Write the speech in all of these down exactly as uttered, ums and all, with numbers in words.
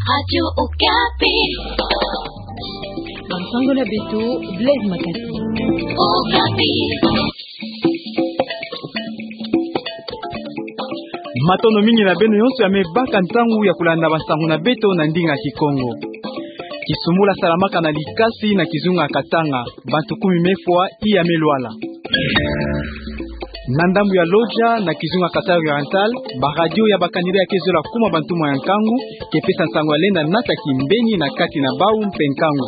Radio Okapi. Bansango na beto, Blaise Makasi. Okapi. Matondo mingi na beno yonso ya me baka ntangu ya kulanda bansango na beto na ndinga Kikongo. Kisumbula salamaka na Likasi na kizunga Katanga. Bantu kumi me fwa, iya me lwala. Na ndambu ya Lodja, na kizunga Kasai Oriental, ba radio ya ba candidat ya ke zola kuma bantumwa ya nkangu, ke pesa nsangu ya lenda nata kimbeni na kati na bau mpe nkangu.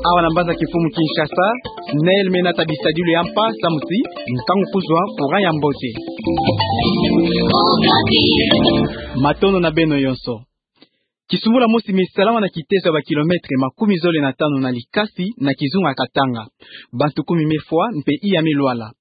Awa na mbanza kimfumu Kinshasa, SNEL me nata bisadilu ya mpa, samu ti nkangu kuzwa, courant ya mbote. Matondo na beno yonso. Kisumbula mosi me salama na kiteso ya ba kilomètre makumi zole na tanu na Likasi, na kizunga Katanga. Bantu kumi me fwa, mpe iya me lwala.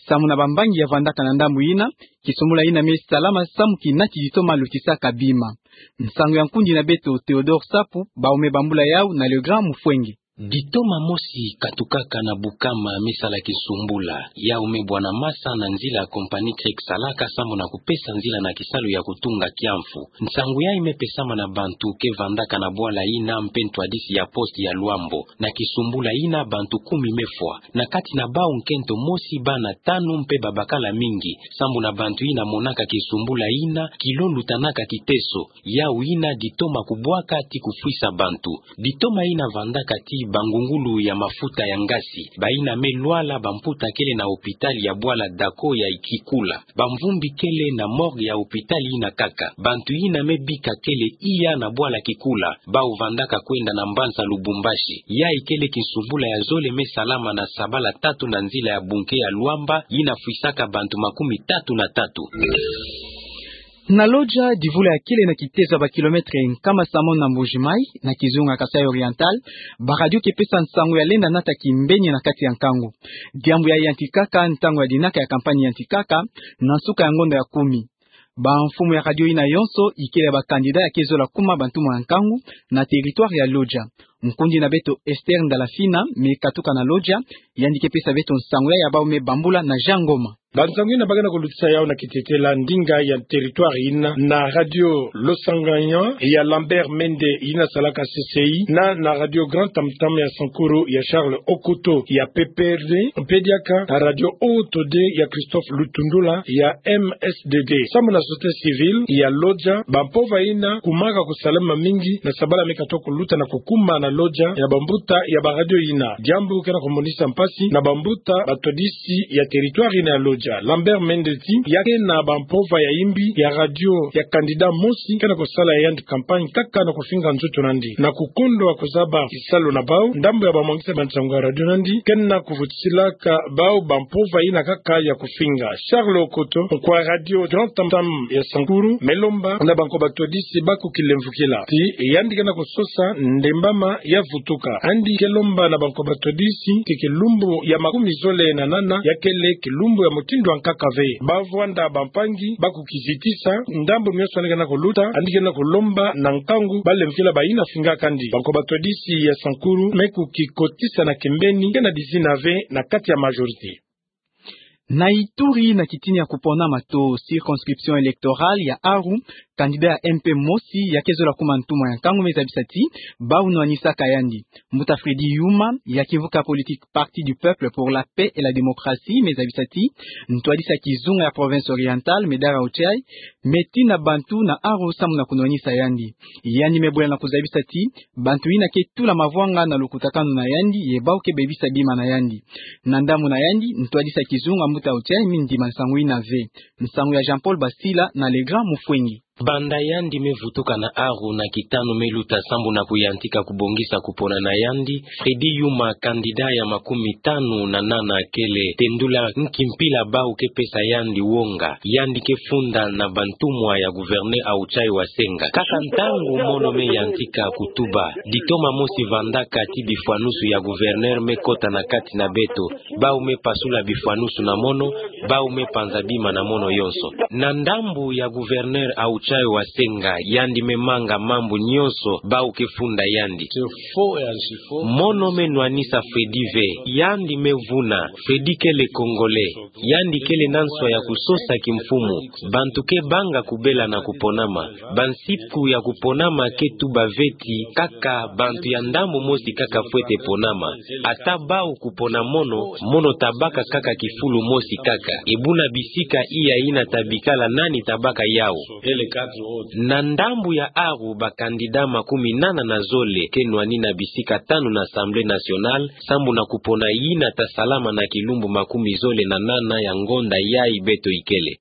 Samu na bambangi ya vandaka na ndambu yina, kisumbula yina me salama samu ki nati ditoma lutisaka bima. Nsangu ya nkundi na beto Théodore Sapu, bau me bambula yau na Legrand Mufwenge. Ditoma mosi katukaka na Bukama me sala kisumbula, yau me bwana masa na nzila ya compagnie Crex Salaka samu na kupesa nzila na kisalu ya kutunga kiamfu. Nsangu yayi me pesama na bantu ke vandaka na bwala yina mpe ntwadisi ya poste ya Luambo. Na kisumbula yina bantu kumi me fwa. Na kati na bau nkento mosi bana tanu mpe babakala mingi. Samu na bantu yina monaka kisumbula yina, kilo lutanaka kiteso, yau yina ditoma kubwaka ti kufwisa bantu. Ditoma yina vandaka ti bangungulu ya mafuta ya ngasi, bayina me lwala bamputa kele na hôpital ya bwala Dako ya Kikula. Bamvumbi kele na morgue ya hôpital yina kaka. Bantu yina me bika kele iya na bwala Kikula, bau vandaka kwenda na mbanza Lubumbashi. Yayi kele kisumbula ya zole me salama na sabala tatu na nzila ya bunke ya Luamba, yina fwisaka bantu makumi tatu na tatu. Na Lodja, divula ya kele na kiteso ya ba kilomètre nkama samono na Mbuji-Mayi, na kizunga Kasai Oriental, ba radio ke pesa nsangu ya lenda nata kimbeni na kati ya nkangu. Diambu yayi yantikaka ntangu ya dinaka ya campagne yantikaka, na nsuka ya ngonda ya kumi. Bamfumu ya radio yina yonso, ikele ya ba candidat ya ke zola kuma bantumwa ya nkangu, na territoire ya Lodja. Nkundi na beto Esther Ndalafina, me katuka na Lodja, yandi ke pesa beto nsangu yayi ya bau me bambula na Jean Ngoma. Bansangu yina ba ke na kulutisa yau na kitetela ndinga ya territoire yina na radio Losanganyan ya Lambert Mende yina salaka C C I, na, na radio Grand Tam Tam ya Sankuru ya Charles Okoto ya P P R D, mpe diaka na radio Haut Todé ya Christophe Lutundula ya M S D D. Samu na société civile ya Lodja, bampova yina kumaka kusalama mingi na sabala me katuka kuluta na kukuma na Lodja ya bambuta ya ba radio yina. Diambu ke na kumonisa mpasi na bambuta batwadisi ya territoire yina ya Lodja. Lambert Mende ti, ya ke na bampova ya imbi ya radio ya candidat mosi ke na kusala ya yandi campagne kaka na kufinga nzoto na yandi. Na kukondwa kuzaba kisalu na bau, ndambu ya bamwangisa bansangu ya radio na yandi ke na kuvutisilaka bau bampova yina kaka ya kufinga. Charles Okoto, nkwa radio Grand Tam Tam ya Sankuru, me lomba na bankwa batwadisi ba kukilemvukila. Ti, yandi ke na kusosa ndembama ya vutuka. Yandi ke lomba na bankwa batwadisi ti kilumbu ya makumi zole na nana ya kele kilumbu ya mutindu ya nkaka ve. Ba vwanda bampangi ba kukizitisa, ndambu mionso yandi ke na kuluta, yandi ke na kulomba na nkangu ba lemvukila bayina fingaka yandi. Bankwa batwadisi ya Sankuru me kukikotisa na kimbeni, ke na dizina ve na kati ya majorité. Na Ituri, na kitini ya kuponama to circonscription électorale ya Aru, candidat ya M P mosi ya ke zola kuma ntumwa ya nkangu me zabisa ti bau nwanisaka yandi. Mbuta Freddy Yuma, ya kimvuka politique Parti du Peuple pour la Paix et la Démocratie, me zabisa ti ntwadisi ya kizunga ya Province Orientale, Me Dara Ochai, me tina bantu na Aru samu na kunwanisa yandi. Yandi me bwela na kuzabisa ti bantu yina ke tula mavwanga na lukutakanu na yandi, ye bau ke bebisa bima na yandi. Na ndambu na yandi, ntwadisi ya kizunga Mbuta Ochai mi ndima nsangu yina ve. Nsangu ya Jean-Paul Basila na Legrand Mufwengi. Banda yandi me vutuka na Aru na kitanu me luta sambu na kuyantika kubongisa kupona na yandi, Freddy Yuma, candidat ya makumi tanu na nana, kele tendula nki mpila bau ke pesa yandi wonga, yandi ke funda na bantumwa ya gouverneur Ochai Wasenga. Kaka ntangu mono me yantika kutuba, ditoma mosi vandaka ti bifwanusu ya gouverneur me kota na kati na beto, bau me pasula bifwanusu na mono, Bau me panza bima na mono yonso. Na ndambu ya gouverneur Auchayo Wasenga, yandi me manga mambu nyonso bau ke funda yandi. Mono me nwanisa Fredi ve, yandi me vuna. Fredi kele Congolais, yandi kele na nswa ya kusosa kimfumu. Bantu ke banga kubela na kuponama. Bansiku ya kuponama ke tuba ve ti kaka bantu ya ndambu mosi kaka fwete ponama. Ata bau kupona mono, mono tabaka kaka kifulu mosi kaka. Ebuna bisika iya ina tabikala nani tabaka yau. Na ndambu ya aru, ba candidat makumi nana na zole ke nwani na bisika tanu na Assemblée nationale, sambu na kupona ina tasalama na kilumbu makumi zole na nana ya ngonda yai beto ikele.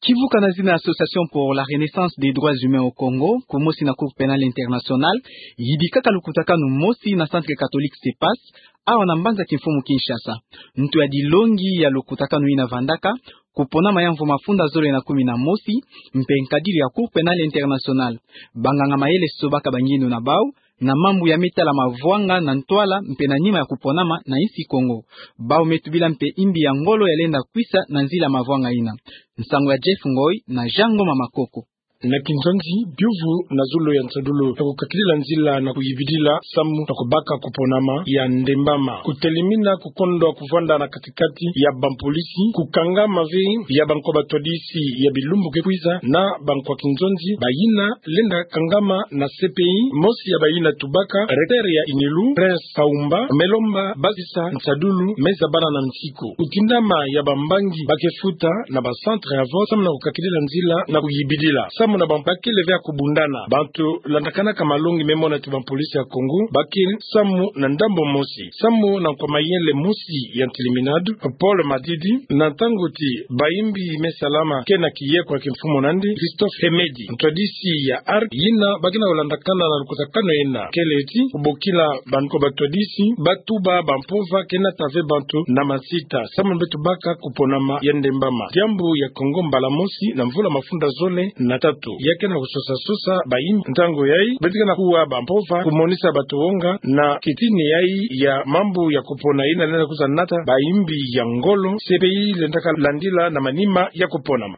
Kivuka na zina Association pour la Renaissance des Droits Humains au Congo, kumosi na Cour Pénale Internationale, yidikaka lukutakanu mosi na Centre Catholique Cepas, awa na mbanza kimfumu Kinshasa. Ntu ya dilongi ya lukutakanu ina vandaka kuponama ya mvu mafunda zole na kumi na mosi, mpe nkadilu ya Cour Pénale Internationale. Banganga mayele sobaka bangindu na bau, na mambu ya me tala mavwanga na ntwala mpe na nima ya kuponama na insi Kongo. Bau me tubila mpe imbi ya ngolo ya lenda kwisa na nzila mavwanga ina. Nsangu ya Jeff Ngoi na Jean Ngoma Makoko. Na kinzonzi, biuvu na zulu ya nsadulu ya kukakilila nzila na kuyibidila samu na kubaka kuponama ya ndembama. Kutelimina kukondwa kuvwanda na katikati ya bampolisi, kukangama ve ya bankwa batwadisi ya bilumbu ke kwiza na bankwa kinzonzi, bayina lenda kangama na C P I, mosi ya bayina tubaka, recteur ya Inilu, Prince Kaumba, me lomba basisa nsadulu me zabana na nsiku. Kutindama ya bambangi ba ke futa na ba centre ya vote, samu na kukakilila nzila na kuyibidila. Samu na bampa kele ve ya kubundana. Bantu landakanaka malongi me mona ti bampolisi ya Kongo ba ke samu na ndambu mosi. Samu na nkwa mayele mosi ya ntiliminadu, Paul Madidi, na ntangu ti bayimbi me salama ke na kiye kwa kimfumu na ndi, Christophe Hemedi, ntwadisi ya ARC, yina ba ke na kulandakana na lukutakanu ina, kele ti kubokila bankwa batwadisi ba tuba bampova ke nata ve bantu na mansita, samu na beto baka kuponama ya ndembama. Diambu ya Kongo mbala mosi na mvula mafunda zole na tatu ya ke na kusosa sosa bayimbi. Ntangu yai beto ke na kuwa bampova kumonisa bato wonga na kitini yai ya mambu ya kupona ina lenda kwiza nata bayimbi ya ngolo, C P I lenda kalandila na manima ya kuponama.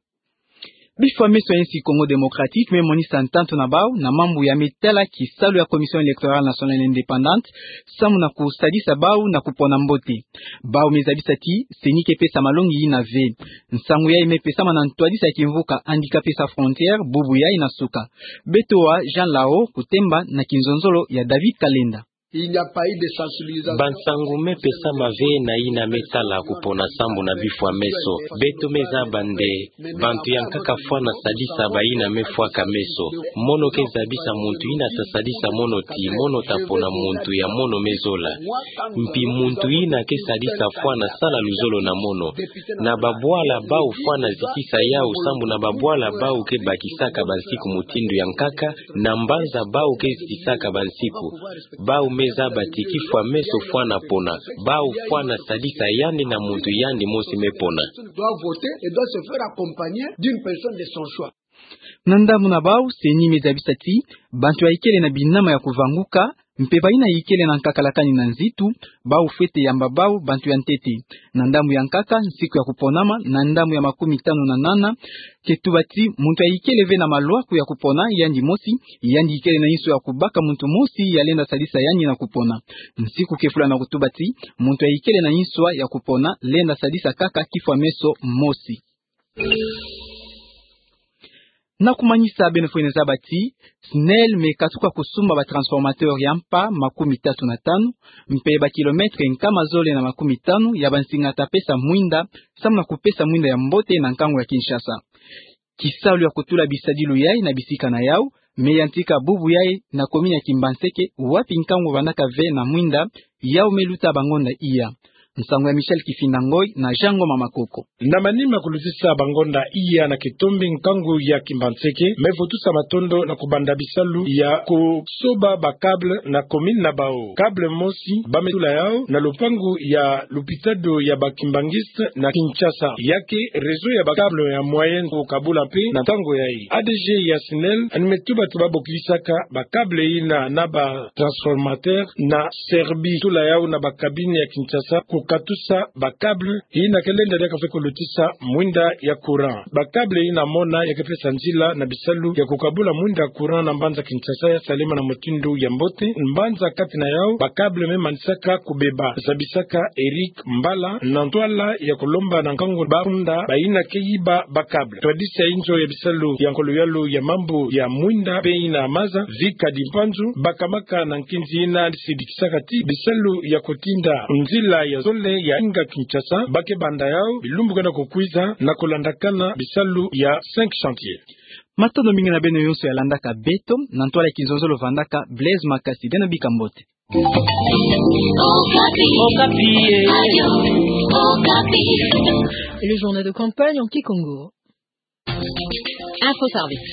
Bifwa meso ya insi Congo Démocratique me monisa ntantu na bau na mambu ya me tala kisalu ya Commission Électorale Nationale Indépendante, samu na kusadisa bau na kupona mbote. Bau me zabisa ti CENI ke pesa malongi ina ve. Nsangu yai me pesama na ntwadisi ya kimvuka Handicapés Sans Frontières bubu yai na suka. Beto wa Jean Lao Kutemba na kinzonzolo ya David Kalenda. Bansangu me pesama ve na ina me tala kupona sambu na bifwa meso. Beto me zaba nde bantu ya nkaka fwana sadisa bayina me fwaka meso. Mono ke zabisa muntu yina ta sadisa mono ti mono ta pona muntu ya mono me zola. Mpi muntu yina ke sadisa fwana sala luzolo na mono. Na babwala bau fwana zikisa yau sambu na babwala bau ke bakisaka bansiku mutindu ya nkaka, na mbanza bau ke zikisaka bansiku. Bau me zaba ti kifwa meso fwana pona. Bau fwana sadisa yandi na muntu yandi mosi me pona. Na ndambu na bau, CENI me zabisa ti bantu ya ikele na binama ya kuvanguka, mpe bayina ikele na nkakalakani na nzitu, bau fwete yamba bau bantu ya ntete. Na ndambu ya nkaka, nsiku ya kuponama, na ndambu ya makumi tanu na nana, ke tuba ti muntu ya ikele ve na malwaku ya kupona yandi mosi, yandi ikele na inswa ya kubaka muntu mosi ya lenda sadisa yandi na kupona. Nsiku ke fula na kutuba ti muntu ya ikele na inswa ya kupona lenda sadisa kaka kifwa meso mosi. Na kumanisa, beno fwene zaba ti SNEL me katuka kusumba ba transformateur ya mpa makumi tatu na tanu, mpe ba kilomètre nkama zole na makumi tanu ya bansinga ta pesa mwinda, samu na kupesa mwinda ya mbote na nkangu ya Kinshasa. Kisalu ya kutula bisadilu yai na bisika na yau me yantika bubu yai na commune ya Kimbanseke, wapi nkangu vandaka ve na mwinda yau me luta bangonda iya. Nsangu ya Michel Kifinda Ngoi na Jean Ngoma Makoko. Na manima kulutisa bangonda iya na kitombi, nkangu ya Kimbanseke me vutusa matondo na kubanda bisalu ya kusoba ba câble na commune na bau. Câble mosi ba me tula yau na lupangu ya lupitado ya ba kimbanguiste na Kinshasa. Ya ke réseau ya ba câble ya moyen kukabula mpe na ntangu yai. A D G ya SNEL ani me tuba ti ba bokisaka ba câble yina na ba transformateur na Serbie, tula yau na ba cabine ya Kinshasa, ku katusa ba câble yina ke lenda diaka fwe kulutisa mwinda ya courant. Ba câble yina mona ya ke pesa nzila na bisalu ya kukabula mwinda ya courant na mbanza Kinshasa ya salema na mutindu ya mbote. Mbanza kati na yau ba câble me manisaka kubeba, zabisaka Eric Mbala na ntwala ya kulomba na nkangu ba funda bayina ke yiba ba câble. Twadisa inzo ya bisalu ya nkolo yalu ya mambu ya mwinda mpe yina maza, Vika Dimpanzu, bakamaka na nkinzi yina sidikisaka ti bisalu ya kutinda nzila ya zole ya inga Kinshasa ba ke banda yau bilumbu ke na kukwiza na kulandakana bisalu ya cinq chantiers. Matondo mingi na beno yonso ya landaka beto. Na ntwala ya kinzonzolo vandaka Blaise Makasi, beno bika mbote. Okapi. Okapi, eh. Le journal de campagne en kikongo. Info Service.